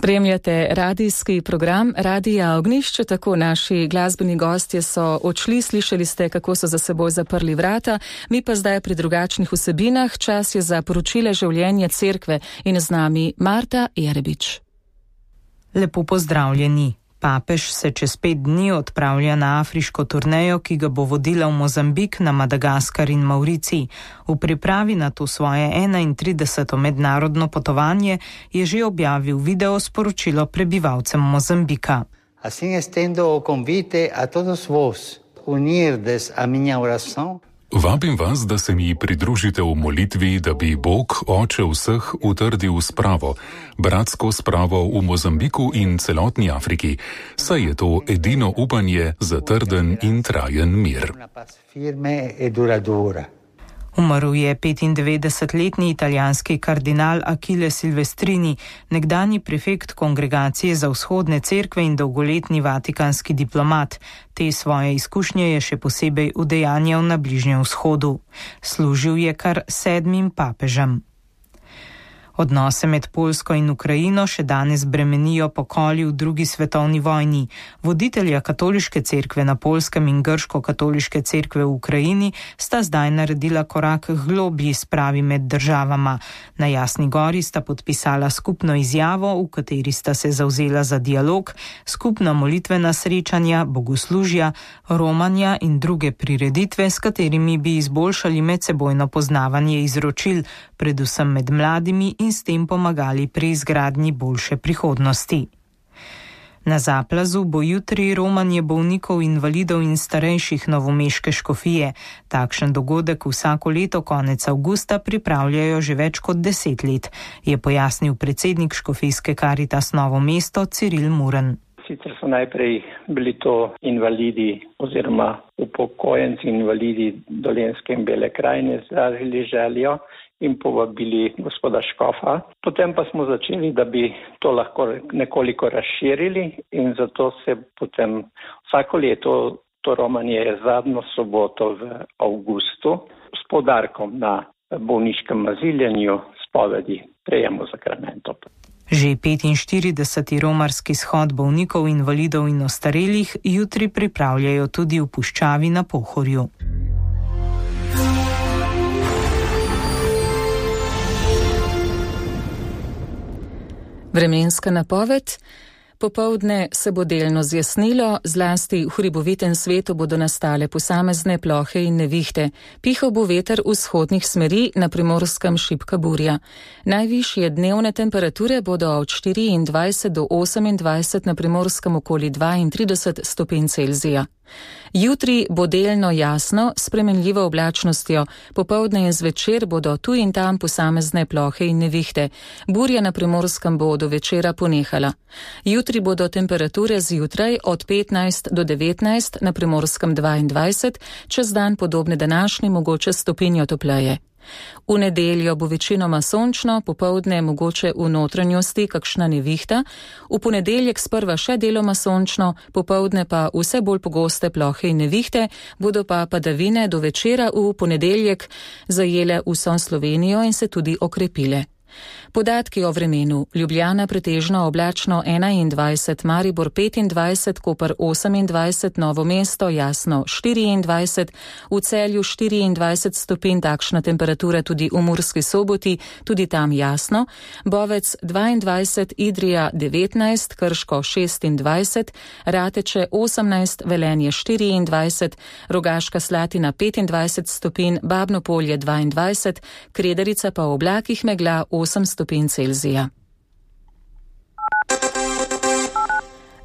Spremljate radijski program Radija Ognjišče, tako naši glasbeni gostje so odšli, slišali ste, kako so za seboj zaprli vrata, mi pa zdaj pri drugačnih vsebinah. Čas je za poročile življenja cerkve in z nami Marta Jerebič. Lepo pozdravljeni. Papež se čez 5 dni odpravlja na afriško turnejo, ki ga bo vodila v Mozambik, na Madagaskar in Mauricij. V pripravi na to svoje 31. mednarodno potovanje je že objavil video sporočilo prebivalcem Mozambika. Assim estendo o convite a todos vos unirdes a minha oração. Vabim vas, da se mi pridružite v molitvi, da bi Bog, Oče vseh, utrdil spravo, bratsko spravo v Mozambiku in celotni Afriki, saj je to edino upanje za trden in trajen mir. Umrl je 95-letni italijanski kardinal Achille Silvestrini, nekdanji prefekt Kongregacije za vzhodne cerkve in dolgoletni vatikanski diplomat. Te svoje izkušnje je še posebej udejanjal na Bližnjem vzhodu. Služil je kar 7 papežem. Odnose med Poljsko in Ukrajino še danes bremenijo pokoli v 2. svetovni vojni. Voditelja katoliške cerkve na Poljskem in grško-katoliške cerkve v Ukrajini sta zdaj naredila korak globlji spravi med državama. Na Jasni gori sta podpisala skupno izjavo, v kateri sta se zavzela za dialog, skupna molitvena srečanja, bogoslužja, romanja in druge prireditve, s katerimi bi izboljšali medsebojno poznavanje izročil, predvsem med mladimi in s tem pomagali pri izgradnji boljše prihodnosti. Na Zaplazu bo jutri romanje bolnikov, invalidov in starejših novomeške škofije. Takšen dogodek vsako leto konec avgusta pripravljajo že več kot 10 let, je pojasnil predsednik škofijske Karitas Novo mesto Ciril Muren. Sicer so najprej bili to invalidi oziroma upokojenci invalidi Dolenjske in Bele krajine izrazili željo in povabili gospoda škofa. Potem pa smo začeli, da bi to lahko nekoliko razširili in zato se potem vsako leto to romanje je zadnjo soboto v avgustu s poudarkom na bolniškem maziljenju, spovedi, prejemu sakramentov. Že 45. romarski shod bolnikov, invalidov in ostarelih jutri pripravljajo tudi v puščavi na Pohorju. Vremenska napoved. Popoldne se bo delno zjasnilo, zlasti v hribovitem svetu bodo nastale posamezne plohe in nevihte. Pihal bo veter vzhodnih smeri, na Primorskem šibka burja. Najvišje dnevne temperature bodo od 24 do 28, na Primorskem okoli 32 stopinj Celzija. Jutri bo delno jasno, s spremenljivo oblačnostjo, popoldne in zvečer bodo tu in tam posamezne plohe in nevihte. Burja na Primorskem bo do večera ponehala. Jutri bodo temperature zjutraj od 15 do 19, na Primorskem 22, čez dan podobne današnji, mogoče stopinjo topleje. V nedeljo bo večinoma sončno, popoldne mogoče v notranjosti kakšna nevihta, v ponedeljek sprva še deloma sončno, popoldne pa vse bolj pogoste plohe in nevihte, bodo pa padavine do večera v ponedeljek zajele vso Slovenijo in se tudi okrepile. Podatki o vremenu. Ljubljana pretežno oblačno 21, Maribor 25, Koper 28, Novo mesto jasno 24, v Celju 24 stopinj, takšna temperatura tudi v Murski Soboti, tudi tam jasno, Bovec 22, Idrija 19, Krško 26, Rateče 18, Velenje 24, Rogaška Slatina 25 stopinj, Babno Polje 22, Kredarica pa v oblakih megla 8 stopinj Celzija.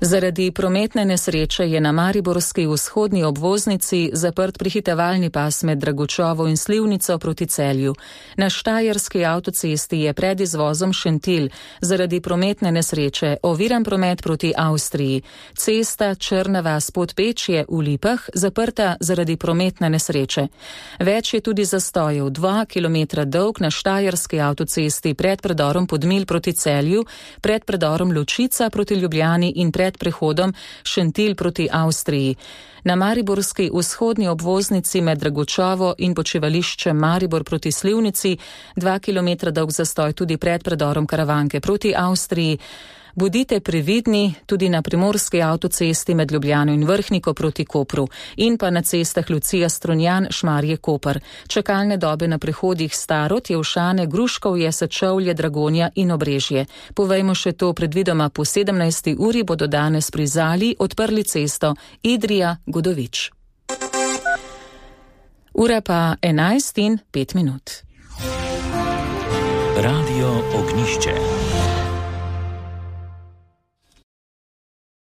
Zaradi prometne nesreče je na mariborski vzhodni obvoznici zaprt prehitevalni pas med Dragočovo in Slivnico proti Celju. Na štajerski avtocesti je pred izvozom Šentilj zaradi prometne nesreče oviran promet proti Avstriji. Cesta Črna vas Podpečje v Lipah zaprta zaradi prometne nesreče. Več je tudi zastojev, 2 km dolg na štajerski avtocesti pred predorom Podmilj proti Celju, pred predorom Ločica proti Ljubljani in pred prehodom Šentilj proti Avstriji. Na mariborski vzhodni obvoznici med Dragočovo in počivališčem Maribor proti Slivnici 2 km dolg zastoj tudi pred predorom Karavanke proti Avstriji. Bodite previdni tudi na primorski avtocesti med Ljubljano in Vrhniko proti Kopru in pa na cestah Lucija Strunjan, Šmarje, Koper. Čakalne dobe na prehodih Starod, Jevšane, Gruškovje, Sečovlje, Dragonja in Obrežje. Povejmo še to, predvidoma po 17. uri bodo danes pri Zali odprli cesto Idrija-Godovič. Ura pa 11:05. Radio Ognjišče.